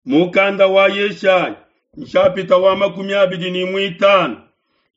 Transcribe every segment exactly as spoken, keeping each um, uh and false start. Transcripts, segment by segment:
Mukanda wa Yeshaya nshapita wa makumi abidi ne muitanu.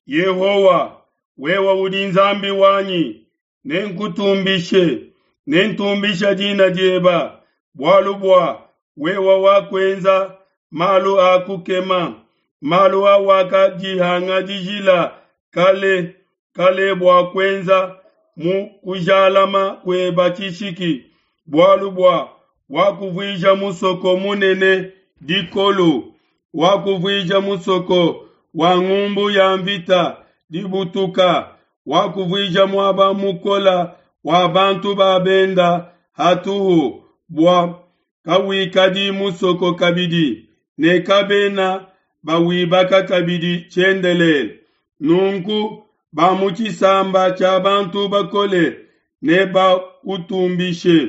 Yehowa, wewe udi Nzambi wanyi, nenkutumbishe, nentumbisha dina dieba, bualu bua wewe wakuenza malu a kukema, malu awakadihangadijila kale kale bua kuenza mu kujalama kueba tshishiki, bualu bua wakuvuija musoko munene dikolu, wakuvuija musoko wa ngumbu ya mvita dibutuka, wakuvuija muaba mukola wa bantu ba benda hatuhu, bua kawikadi musoko kabidi, ne kabena bawibaka kabidi tshiendelele. Nunku ba mu tshisamba tshia bantu bakole nebakutumbishe,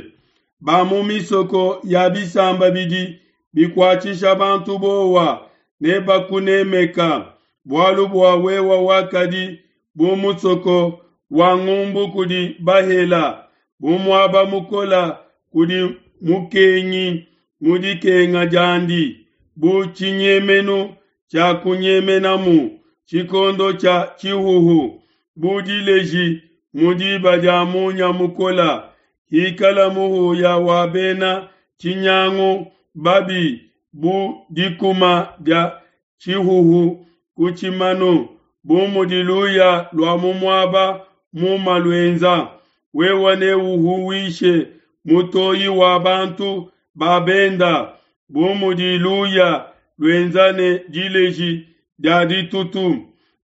ba mu misoko ya bisamba bidi bikuatshisha bantu bowa nebakunemeka, bualu bua wewe wakadi bu musoko wa ngumbu kudi bahela, bu muaba mukola kudi mukengi mu dikenga diandi, bu tshinyemenu tshia kunyemenamu tshikondo tshia tshihuhu, bu dileji mu diba dia munya mukola. Hikala muhuya wa bena tshinyangu babi bu dikuma dia tshihuhu ku tshimanu, bu mudi luya lua mu muaba muma luenza. Wewe neuhuwishe mutoyi wa bantu ba benda, bu mudi luya luenza ne dileji dia ditutu.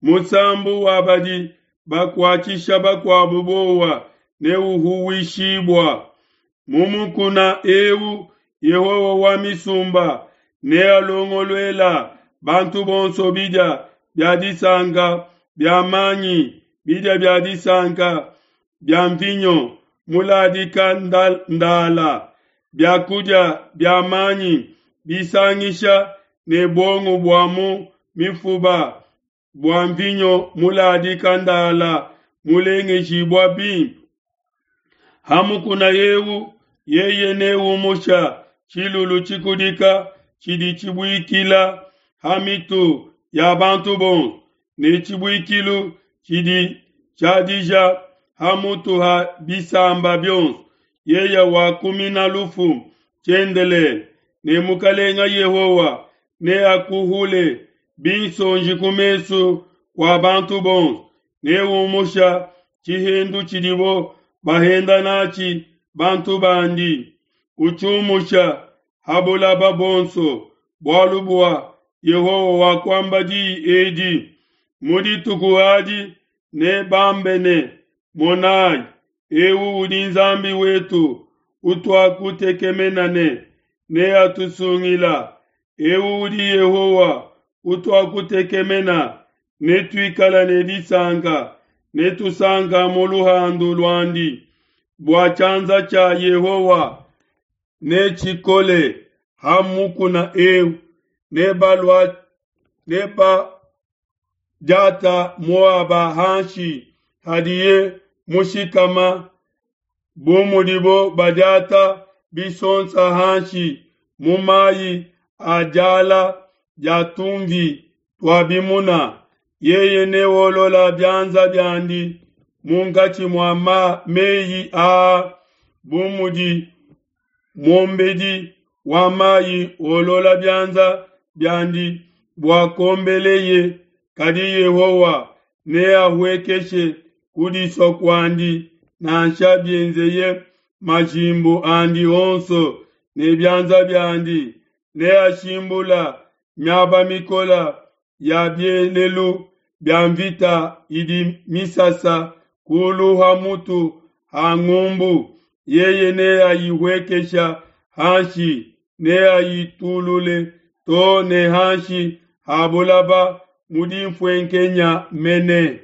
Musambu wa badi bakuatshisha bakuabu bowa neuhuwishibua. Mu mukuna eu Yehowa wa misumba nealongoluela bantu bonso bidia bia disanka bia manyi, bidia bia disanka bia mvinyo muladika ndala, biakudia bia manyi bisangisha ne buongo bua mu mifuba bua mvinyo muladika ndala mulengejibua bimpe. Ha mukuna eu yeye neumusha tshilulu tshikudika tshidi tshibuikila ha mitu ya bantu bonso, ne tshibuikilu tshidi tshiadija ha mutu ha bisamba bionso. Yeye wakumina lufu tshiendelele, ne Mukalenga Yehowa neakuhule binsonji ku mesu kua bantu bonso, neumusha tshihendu tshidibo bahenda natshi bantu bandi, utshiumusha ha bulaba bonso, bualu bua Yehowa wakuamba diyi edi. Mu dituku adi nebambe ne, Monai, eu udi Nzambi wetu utuakutekemena ne neatusungila. Eu udi Yehowa utuakutekemena, netuikala ne disanka, netusanka mu luhandu luandi. Bua tshianza tshia Yehowa netshikole ha mukuna eu, nebalua nebadiata Moaba hanshi hadiye mushikama, bu mudibo badiata bisonsa hanshi mu mayi a diala dia tumvi tua bimuna. Yeye neolola bianza biandi munkatshi mua ma meyi aa, bu mudi muombedi wa mayi olola bianza biandi bua kuombeleye. Kadi Yehowa neahuekeshe kudisua kuandi, nansha bienzeye majimbu andi onso ne bianza biandi. Neashimbula miaba mikole ya bielelu bia mvita idi misasa kulu ha mutu ha ngumbu. Yeye neayihuekesha hanshi, neayitulule to ne hanshi ha bulaba mu dinfuenkenya mene.